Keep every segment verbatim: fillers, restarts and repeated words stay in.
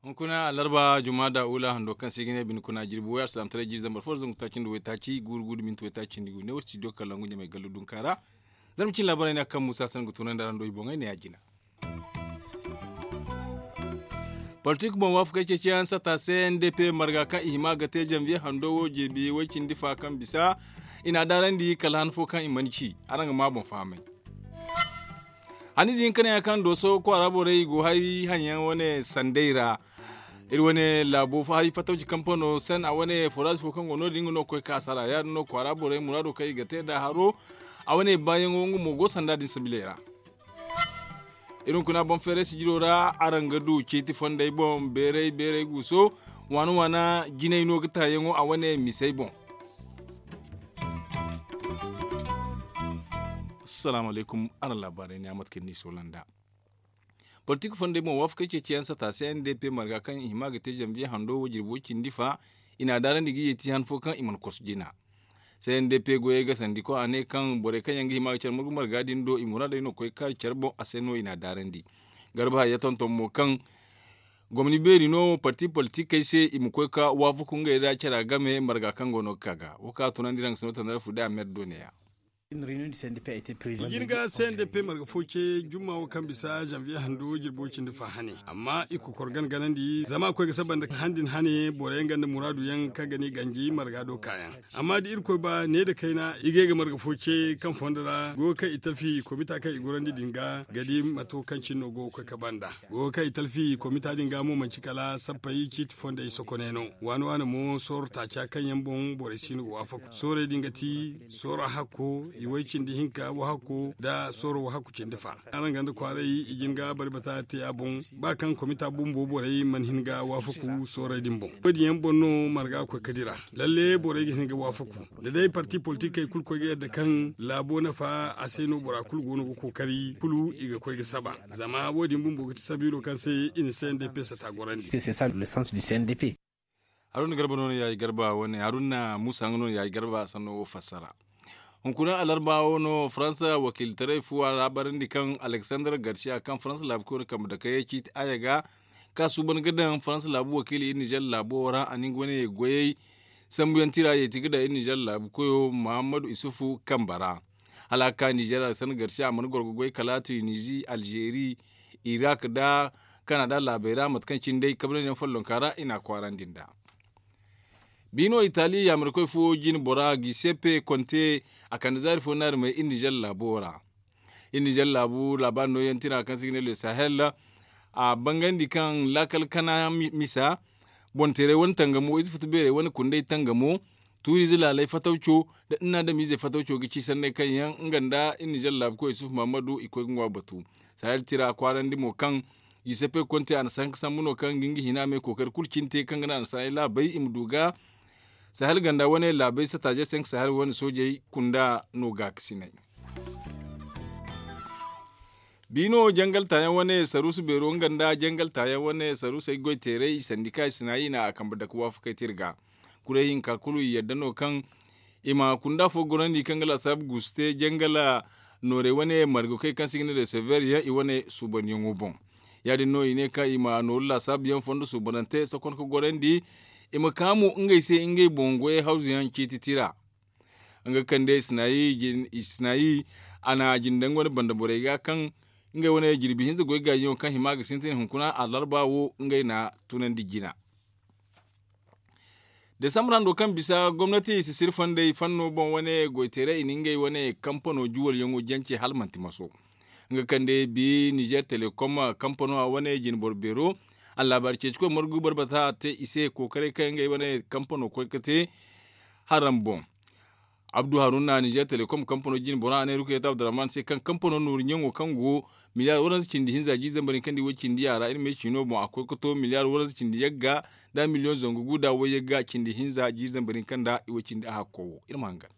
Hunkuna alarba juma da ula hando kaŋ se i ga ne bine kuna jirbi way alsilaamataray jiiri zambar fo da zangu taaci nda waytaaci guuru guuru da minti waytaaci nda gu ne wo studio kalangu ɲamay gallu dunka ra. Zarma cine laabaray no ya kaŋ muusa sanni ga tunandi araŋ do i boŋey ne ya jina. Politik boŋ waafakey ceeciyaŋ sata c n d p marga kaŋ i hima ga te zanviye hando wo jirbi way cindi fa kaŋ bisa i n'a daarandi kala han fo kaŋ i mana ci. Araŋ ga ma boŋ fahamay. Haniize hinka ne ya kaŋ dooso kwaara borey i go hari haŋ yaŋ wane sanday ra. Iri wane laabo hari fatawci kampano sen a wane foraazi fo kaŋ go no- din nga no ga koy ka sara ya- din no kwaara borey muraado kaŋ i ga te nd'a haro. A wane baayaŋo nga mo go sanda din sabiley ra. Iri hunkuna boŋ feeray sijiro ra araŋ ga du ciiti fondey boŋ beeray beeray guuso waana waana jinay no ga taayaŋo a wane misey boŋ. Assalaamu alaykum. Araŋ laabaarey ne a mate kaŋ ni soola nd'a. Politik fondey boŋ waafakey ceeciyaŋ sata c n d p marga kaŋ i hima ga te zanviye hando wo jirbo cindi fa. I n'a daarandi ga yeeti han fo kaŋ i mana kosu jina. C n d p goyey ga sandi koy a ne kaŋ borey kaŋ yaŋ ga hima ga care margu marga din do i muraadey no ga koy ga kaari care boŋ a se no i n'a daarandi. Garba hayya tonton mo kaŋ gomni beeri no parti politikey se i ma koy ga waafaku ngey nda cara game marga kaŋ go no ga ka ga wo kaŋ a tunandi raŋ ga sino tandara fu day a mer do ne- ya. Ijin ga c n d p marga fo ce jumma wo kaŋ bisa zanviye hando jirbo cindi fa hane amma i kokor gana ganandi zama a koy ga saba nda han din hane boro yaŋ ganda muraadu yaŋ kaŋ ga ne ganji marga do kaayaŋ. Amma da irkoy ba ne nda kayna i ga ye ga marga fo ce kaŋ fondo ra goyo kaŋ i talfi komita kaŋ i gorandi din ga ga di mato kaŋ cine no go ga koy ga banda. Goyo kaŋ i talfi komita din ga mo manci kala sappey ciiti fondey sokoney no waani waani mo sooro taaca kaŋ yaŋ boŋ borey si no ga waafaku soorey din ga ti sooro hakko i way cindi hinka wahakku nda sooro wahakku cindi fa. Araŋ ganda kwaaray i jin ga bari bata te a boŋ ba kaŋ komita bumbo borey mana hin ga waafaku soorey din boŋ wo- din yaŋ boŋ no marga ga koy ga dira. Lalle borey ga hin ga waafaku da day parti politikey kulu koy ga yadda kaŋ laabo nafa a se no bora kulu go no ga kookari kulu i ga koy ga saba. Zama wo- din bumbo ga ti sabiilo kaŋ se i na c n d p sata gorandi. Haruna garba no no ya i garba wane haruna muusa nga no no ya i garba sanno wo fassara. Hunkuna alarba wo no faransa wakiilitaray fu a laabarandi kaŋ alexander garcia kaŋ faransa laabu koy no kambe dakayey ciiti aya ga ka suuban ga daŋ faransa laabu wakiili iri nizer laabo wo ra a na nga wane goyey sambuyaŋ tira yeeti ga daŋ iri nizer laabu koyo muhammadu isufu kambe ra. Hala a ga ka nizer alexander garcia a mana goro ga goy kala tunizi alzeeri irak nda kanada laabey ra mate kaŋ cine day kabrandi yaŋ follonka ra i n'a kwaarandi nd'a. Biino itali yaamarkoy fo jine bora giseppe konte a kande zaari fo naari may iri nizer laabo ra. Iri nizer laabu laabaari nooyaŋ tira kaŋ se i ga ne le sahel a bangandi kaŋ laakal kana misa boŋ teeray wane tangamo ize futu beeray wane kunday tangamo tuuriize laalay fatawco nda nin adamiizey fatawco ga ci sanney kaŋ yaŋ nga nda iri nizer laabu koy yusuf muhammadu i koy ga ŋwa batu. Sahel tira kwaarandi mo kaŋ yusefe konte a na sanka sambu no kaŋ ga nga hina me kookari kulu cine te kaŋ ga naŋ a na sahel laabey i ma du ga sahel ganda wane laabey sataazey se nga sahel wane soojey kunda no gaakasinay. Biino jangal taayaŋ wane saruusu beero nga nda jangal taayaŋ wane saruusey goy teeray i sandika i sinayi na a kambe dake waafakey te iri ga. Kuray hinka kulu i yadda no kaŋ i ma kunda fo gorandi kaŋ ga laasaabu guusu te jangala noorey wane margokey kaŋ se i ga ne resever yaŋ i wane suubandiyaŋo boŋ. Ya- din no i ne kaŋ i ma nooru laasaabu yaŋ fondo suubanante sokon ga gorandi i ma ka mo ngey se ngey boŋ goyey hawzu yaŋ ciiti tira. Nga kande isnayi a na jindaŋ wane banda borey ga kaŋ ngey wane jirbi hinza goy gaajiyaŋo kaŋ hima ga sintin hunkuna alarba wo ngey na tunandi jina. Desambur hando kaŋ bisa gomnati sisiri fondey fanno boŋ wane goyteeray i na ngey wane kampano juwalyaŋo jance hala manti maso. Nga kande bi nizer telekom kampano a wane jinboro beero a laabaari ceecikoy margu barbata te i se kookaray kaŋ ngey wane kampano koy ga te haram boŋ. Abdu haruna nizer telekom kampano jine bora a ne rukayat abdurrahman se kaŋ kampano nooru ɲaŋo kaŋ go miliyaar waranza cindi hinza jiiri zambar hinka nda iway cindi a ra iri ma ay ciino boŋ a koy ga to miliyaar waranza cindi yagga nda miliyoŋ zangu gu nda way yagga cindi hinza jiiri zambar hinka nda iway cindi a hakko wo iri ma hangan.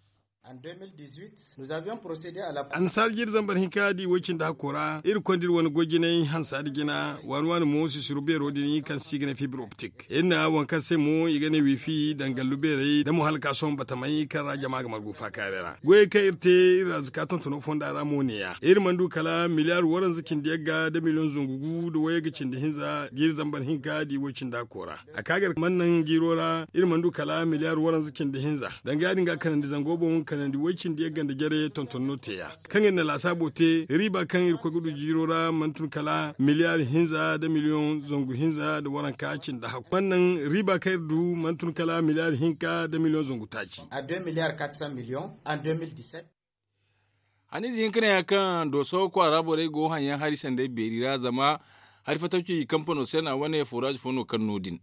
Annasaara jiiri zambar hinka da i way cindi hakko ra iri konda iri wane goy jinay hansa nda jina waani waani mo sisiru beero din kaŋ se i ga ne fibre optique iri na waŋ kaŋ se mo i ga ne wifi daŋ gallu beerey nda mo hala ka sohõ batamey kaŋ ra jama ga margu faakaaray ra goyey kaŋ iri te iri ra zaka tontono fonda ra mo neeya iri mana du kala miliyaari waranza cindi yagga nda miliyoŋ zangu gu nda wayagga cindi hinza jiiri zambar hinka da i way cindi hakko ra a ka gar mana naŋ jiiro ra iri mana du kala miliyaari waranza cindi hinza danga ya- din ga kanandi zango boŋ kanandi way cindi yagga nda jare tonton no te ya kaŋ iri na laasaabo te riiba kaŋ irkoy ga du jiiro ra mana tun kala miliyaari hinza nda miliyoŋ zangu hinza nda waranka cindi hakku mana naŋ riiba kaŋ iri du mana tun kala miliyaari hinka nda miliyoŋ zangu taaci. Haniize hinka ne ya kaŋ dooso kwaara borey go haŋyaŋ hari sanday beeri ra zama hari fatawci kampano se no a wane foraazi fo no kaŋ no- din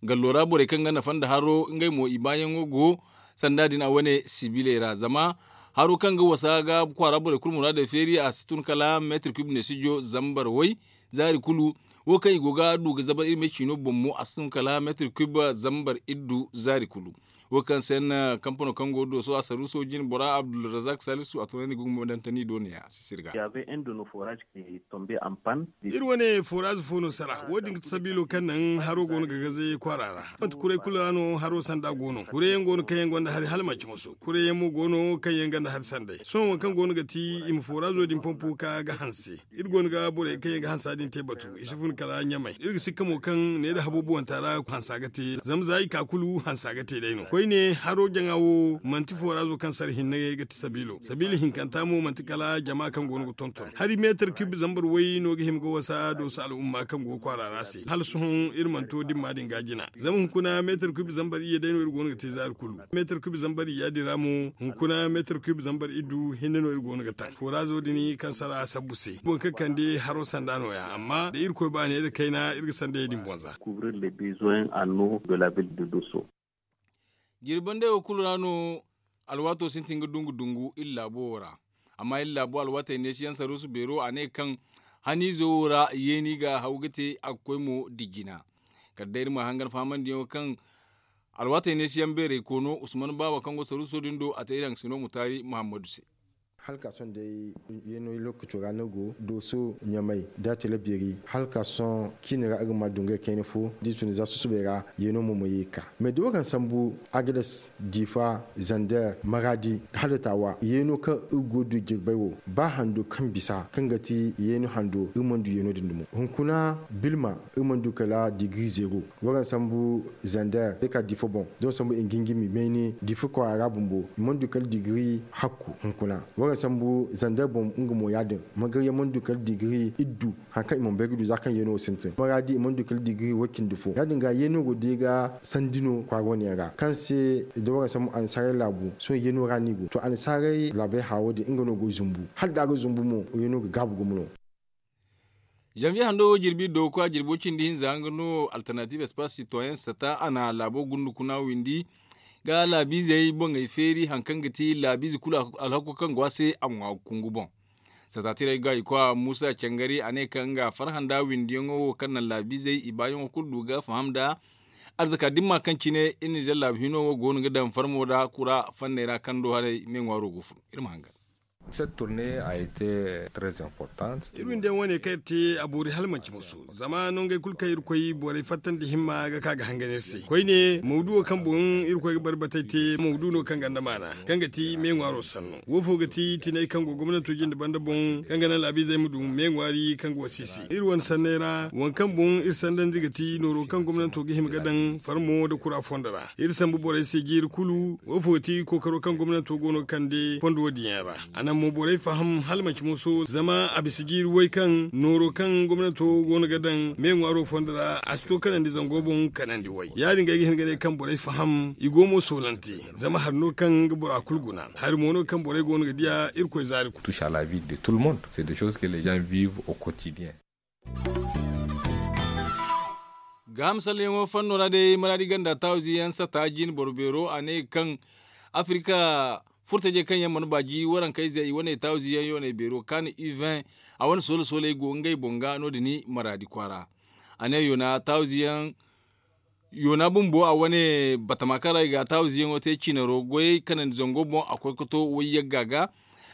gallo ra borey kaŋ ga nafa nda haro ngey mo i baayaŋo go sanda din a wane sibiley ra zama haro kaŋ ga wasa ga kwaara borey kulu muraadey feeri a si tun kala meetir kub neesijo zambar way zaari kulu wo kaŋ i go ga du ga zabar iri me ciino boŋ mo a si tun kala meetir kub zambar iddu zaari kulu wo kaŋ se no kampano kaŋ go dooso a saruuso jine bora abdulrazak salisu a tunandi ga humbandante ni do ne a si sirga. Iri wane foraazi fo no sara wo- din ga ti sabiilo kaŋ naŋ haro go no ga gaze kwaara ra manti kuray kulu ra no haro sanda go no kuray yaŋ go no kaŋ yaŋ gonda hari hala manci moso kuray yaŋ mo go no kaŋ yaŋ gonda hari sanday sohõ waŋ kaŋ go no ga ti i ma foraazo din pompo ka ga hanse iri go no ga borey kaŋ yaŋ ga hansa din te batu i si fun kala ɲamay iri ga sikka mo kaŋ ne nda haboobuwanta ra hansa ga te zama za i ka kulu hansa ga te day no koyne haro jaŋa wo manti foraazo kaŋ sara hinne ga ti sabiilo sabiila hinkanta mo manti kala jama kaŋ go no ga tonton hari meetar kub zambar way no ga hima ga wasa dooso al'umma kaŋ go ga kwaara ra se hala sohõ iri mana to dimma din ga jina zama hunkuna meetar kub zambar iyye day no iri go no ga te zaari kulu meetar kub zambar iyya din ra mo hunkuna meetar kub zambar iddu hinne no iri go no ga taŋ foraazo din kaŋ sara a sabbu se boro kaŋ kande haro sanda no- ya amma da irkoy baaney nda kayna iri ga sandayey din boŋ za. Jirbi bande wo kulu ra no alwaato sintin ga dungu dungu iri laabo wo ra amma iri laabo alwaatey neesiyaŋ saruusu beero a ne kaŋ haniizo wo ra yeeni ga haw ga te a ga koy mo dijjina kala day iri ma hangan fahamandiyaŋo kaŋ alwaatey neesiyaŋ beerey koono usman baaba kaŋ go saruuso din do a te iri haŋ sino mutaari muhammadu se. Hala ka sohõ day yeeno lookaco ra no go dooso ɲamay da tele beeri hala ka sohõ ciine ra iri ma du ngey kayna fo da i tun za susubay ra yeeno mo ma ye ga ka mais da wo kaŋ sambu agades diifa zander maraadi hala taawa yeeno kaŋ iri go ga du jirbay wo ba hando kaŋ bisa kaŋ ga ti yeeno hando iri mana du yeeno din dumo hunkuna bilma iri mana du kala digiri zeero waraŋ sambu zander da ka diifa boŋ da waraŋ sambu ingingimi mayne diifa kwaara ra bumbo i mana du kala digiri hakku hunkuna waraŋ sambu zander boŋ nga mo ya- din magarya mana du kala digiri iddu hari kaŋ i mana bay ga du za kaŋ yeeno wo sintin maraadi i mana du kala digiri way cindi fo ya- din ga yeeno go day ga sandi no kwaara wane yaŋ ra kaŋ se da waraŋ sambu annasaarey laabu sohõ yeeno ra no i go to annasaarey laabey haawo din nga no go ga zumbu hala da a ga zumbu mo yeeno ga gaabu gumo no. Zanviye hando wo jirbi dooku a jirbo cindi hinza nga no alternative espace citoyen sata a na laabo gundu kuna windi ga laabiizey boŋey feeri hari kaŋ ga ti laabiize kulu alhakko kaŋ go a se a ŋwa kungu boŋ sata tirey ga i koy a muusa cangari a ne kaŋ nga farhã nda windiyaŋo wo kaŋ naŋ laabiizey i baayaŋo kulu du ga faham nda arzaka dimma kaŋ cine iri nizer laabu hino wo go no ga daŋ farmo nda kura fanney ra kaŋ do haray me ŋwaaro go fun iri ma hangan. Iri windiyaŋ wane kaŋ iri te a boori hala manci musu zama nongey kulu kaŋ iri koy borey fattandi himma ga ka ga hangan iri se koyne mawduwo kaŋ boŋ iri koy ga bari batey te mawdu no kaŋ ganda maana kaŋ ga ti me ŋwaaro sanno wo fo ga ti tinay kaŋ go gomnanto jinde banda boŋ kaŋ ga naŋ laabiizey ma du me ŋwaari kaŋ go siisi iri wane sanney ra waŋ kaŋ boŋ iri sandandi ga ti nooro kaŋ gomnanto ga hima ga daŋ farmo nda kura fondo ra iri sambu borey se jiiri kulu wo fo ga ti kookaro kaŋ gomnanto go no ga kande fondo wo- din yaŋ ra a naŋ mo borey faham hala manci moso zama a bisa jiiri way kaŋ nooro kaŋ gomnanto go no ga daŋ me ŋwaaro fondo ra a si to kanandi zango boŋ kanandi way ya- din ga ay ga hin ga ne kaŋ borey faham i go mo soolante zama hari no kaŋ ga bora kulu guna hari mo no kaŋ borey go no ga diya irkoy zaari kulu. Gaaham salleyaŋo fanno ra day maraadi ganda taawize yaŋ sata jin boro beero a ne kaŋ afirika furtajey kaŋ yaŋ mana baaji warankayze i wane taawize yaŋ yoonay beero kaani uvin a wane soole sooley go ngey boŋ ga no- din maraadi kwaara a ne yoona taawize yaŋ Yoona bumbo a wane batama kaŋ ra i ga a taawize yaŋo te cinaro goyey kanandi zango boŋ a koy ga to wayyagga ga.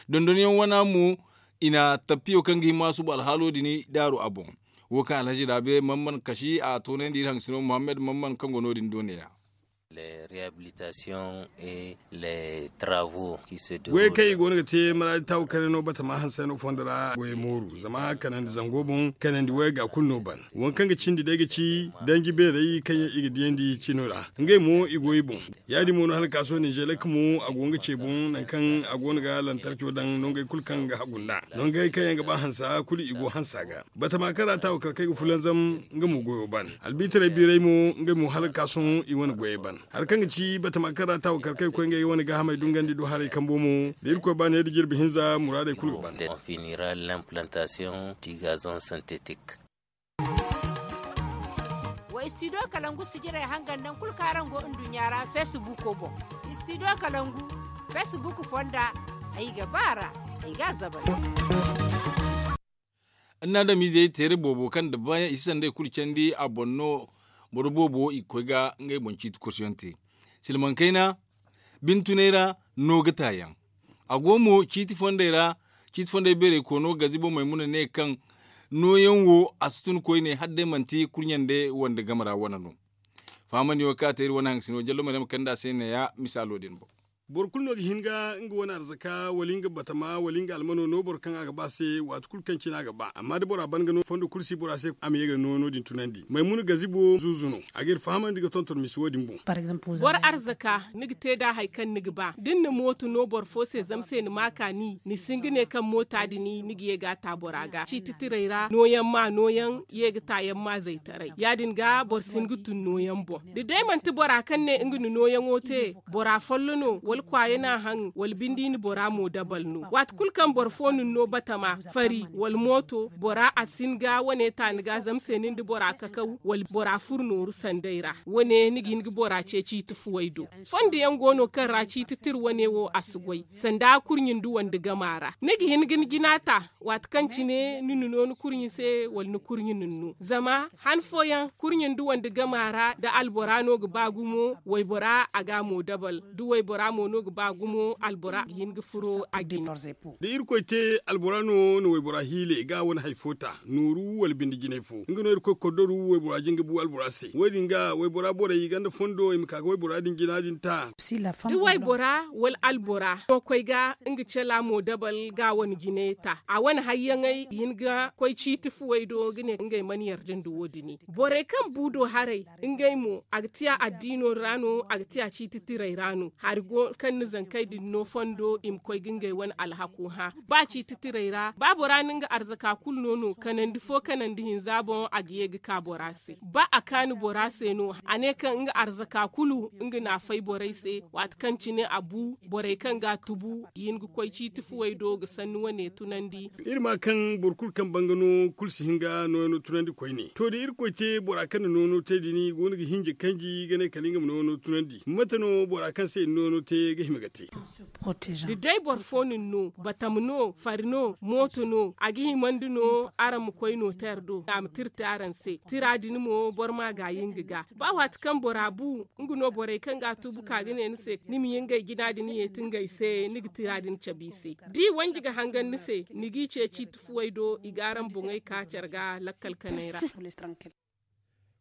Dondonyaŋ wana mo i na tappiyo kaŋ ga hima a suba alhaalo din daaru a boŋ. Wo kaŋ alhazi raabe man man kasi a toonandi iri haŋ sino muhammad man man kaŋ go no- din do ne- ya. Goyey kaŋ i go no ga te maraadi taawu kare no batama hanse no fondo ra goyey mooru zama kanandi zango boŋ kanandi wayga kulu no ban. Waŋ kaŋ ga cindi day ga ci danji beerey kaŋ yaŋ i ga diyandi cino ra ngey mo i go i boŋ. Ya- din mo no hala ka sohõ ninzeelek mo a go nga ce boŋ nangu kaŋ a go no ga lantarco daŋ nongey kulu kaŋ ga hagu nd'a. Nongey kaŋ yaŋ ga ba hansa kulu i go hansa ga. Batama kaŋ ra taawu kar kaŋ ay ga fulanzam nga mo goyo ban. Albiitaray biiray mo ngey mo hala ga ka sohõ i wane goyey ban. Hari kaŋ ga ci batama kaŋ ra taawu kar kaŋ ay ga koy ngey wane gaahamey dungandi do haray kambo mo da irkoy ba ne da jirbi hinza muraadey kulu ga ban. Wa studio kalangu sijirey hangan naŋ kulu kaŋ araŋ go nduɲɲa ra feesibuuko boŋ. Studio kalangu feesibuuk fonda ay ga ba a ra. Ay ga a zabay. Annaadamizey teere boobo kaŋ da baayaŋ i si sanday kulu candi a boŋ no. Boro boobo i ga koy ga ngey boŋ ciiti kursuyaŋ te silmaŋ kayna. Bine tunay ra no ga taayaŋ. A go mo ciiti fondey ra. Ciiti fondey beerey koono gazibo maymuna ne kaŋ nooyaŋ wo a si tun koyne hala day manti kurɲande wande game ra wane no. Fahamandi wo kaŋ a te iri wane haŋ sino jallo maryama kande a se neeya misaalo din boŋ. Boro kulu no ga hin ga nga wane arzaka wala nga batama wala nga almano no boro kaŋ a ga ba se waati kulu kaŋ cine a ga ba amma da bora ban ga no fondo kulu si bora se a ma ye ga no no- din tunandi maymuna gazibo zuuzu no. A ga iri fahamandi ga tonton misi wo- din boŋ. Boro arzaka ni ga te nd'a hari kaŋ ni ga ba da ni na mooto no boro fo se zama se ni ma a kaani ni si hin ga ne kaŋ moota din ni ga ye ga a ta bora ga ciiti tirey ra nooyaŋ ma nooyaŋ ye ga taayaŋ ma zaytaray ya- din ga boro si hin ga tun nooyaŋ boŋ. Da day manti bora kaŋ ne nga na nooyaŋo te bora follo no wala kwaaya no a haŋ wala bindi ni bora mo dabal no waati kulu kaŋ boro fo na ni no batama fari wala mooto bora a si hin ga wane taani ga zama se nin da bora kakaw wala bora furo nooru sanday ra. Wane ni ga hin ga bora ce ciiti fuwey do. Fondo yaŋ go no kaŋ ra ciiti tira wane wo a si goy sanda kurɲi nda wande gama ra ni ga hin ga ni jina ta. Waati kaŋ cine ni na no ni kurɲi se wala ni kurɲi na ni no zama han fooyaŋ kurɲi nda wande gama ra da albora no ga ba gumo waybora a ga a mo dabal da waybora mo no ga ba gumo albora ga hin ga furo a jine. Da irkoy te albora no na waybora hiile ga wane hari fo ta nooru wala binde jinay fo nga no irkoy koddoru waybora jin ga bu albora se wo- din ga waybora borey ganda fondo i ma ka ga waybora din jina din ta. Da waybora wala albora no koy ga nga cala mo dabal ga wane jinay ta a wane hayyaŋey i hin ga koy ciiti fuwey do ga ne ngey mana yarda nda wo- din borey kaŋ bu do haray ngey mo a ga tiya addiino ra no a ga tiya ciiti tirey ra no hari go kaŋ ni zankey din no fondo i ma koy ga ngey wane alhako hã. Ba ciiti tirey ra ba bora na nga arzaka kulu no no kanandi fo kanandi hinza boŋ a ga ye ga ka bora se ba a kaani bora se no a ne kaŋ nga arzaka kulu nga na a fay borey se waati kaŋ cine a bu borey kaŋ ga a tubu i hin ga koy ciiti fuwey do ga sanni wane tunandi. Iri ma kaŋ boro kulu kaŋ banga no kulu si hin ga nooyaŋo tunandi koyne to da irkoy te bora kaŋ na noono te din go no ga hinja kanji ga ne kala nga ma noono tunandi mate no bora kaŋ se i na noono te ga hima ga te? Da day boro fo no ni no batam no fari no mooto no a ga himandi no araŋ ma koy nooteer do a ma tira te araŋ se tira din mo boro ma a gaayi nga ga ba waati kaŋ bora bu nga no borey kaŋ ga a tuubu ka ga ne ni se ni ma ye ngey jina din yeeti ngey se ni ga tira din cabe i se da i wanji ga hangan ni se ni g'i ce ciiti fuwey do i ga araŋ boŋey ka care ga lakkal kanay ra.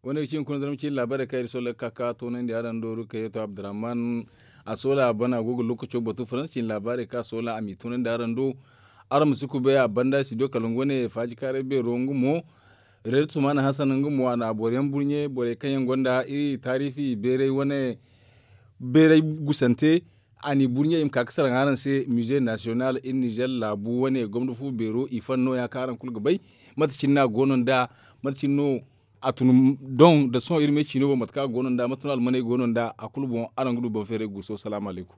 Wane ga ci hunkuna zarma ciine laabaarey kaŋ iri sooley ga ka ka toonandi araŋ do rukayatu abdurrahman. A soola a bana a go ga lookaco batu faransa ciine laabaarey kaŋ a soola a m'i toonandi araŋ do. Araŋ ma si kubay a banda studio kalangu wane faaji kaaray beero nga mo. Reer tumana hasan nga mo a na boro yaŋ burɲe borey kaŋ yaŋ gonda iri taariifi beeray wane beeray gusante. A n'i burɲe i ma ka ga salaŋ araŋ se mize nasiyonal iri nizer laabu wane gomna fu beero i fan nooya kaŋ araŋ kulu ga bay. Mate cine no a goono nd'a mate cine no a tun doŋ nda sohõ iri me ciino boŋ mate kaŋ a goono nd'a mate no almaney goono nd'a a kulu boŋ araŋ ga du boŋ feeray guuso salaamu alaykum.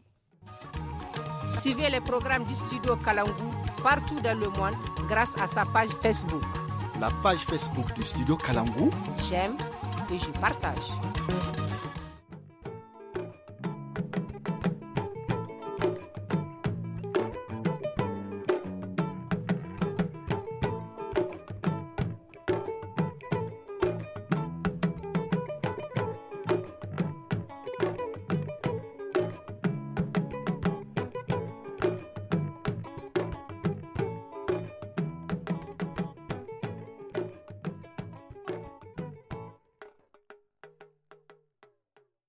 Suivez les programmes du studio kalangu partout dans le monde grâce à sa page facebook. La page facebook du studio kalangu. J'aime et je partage.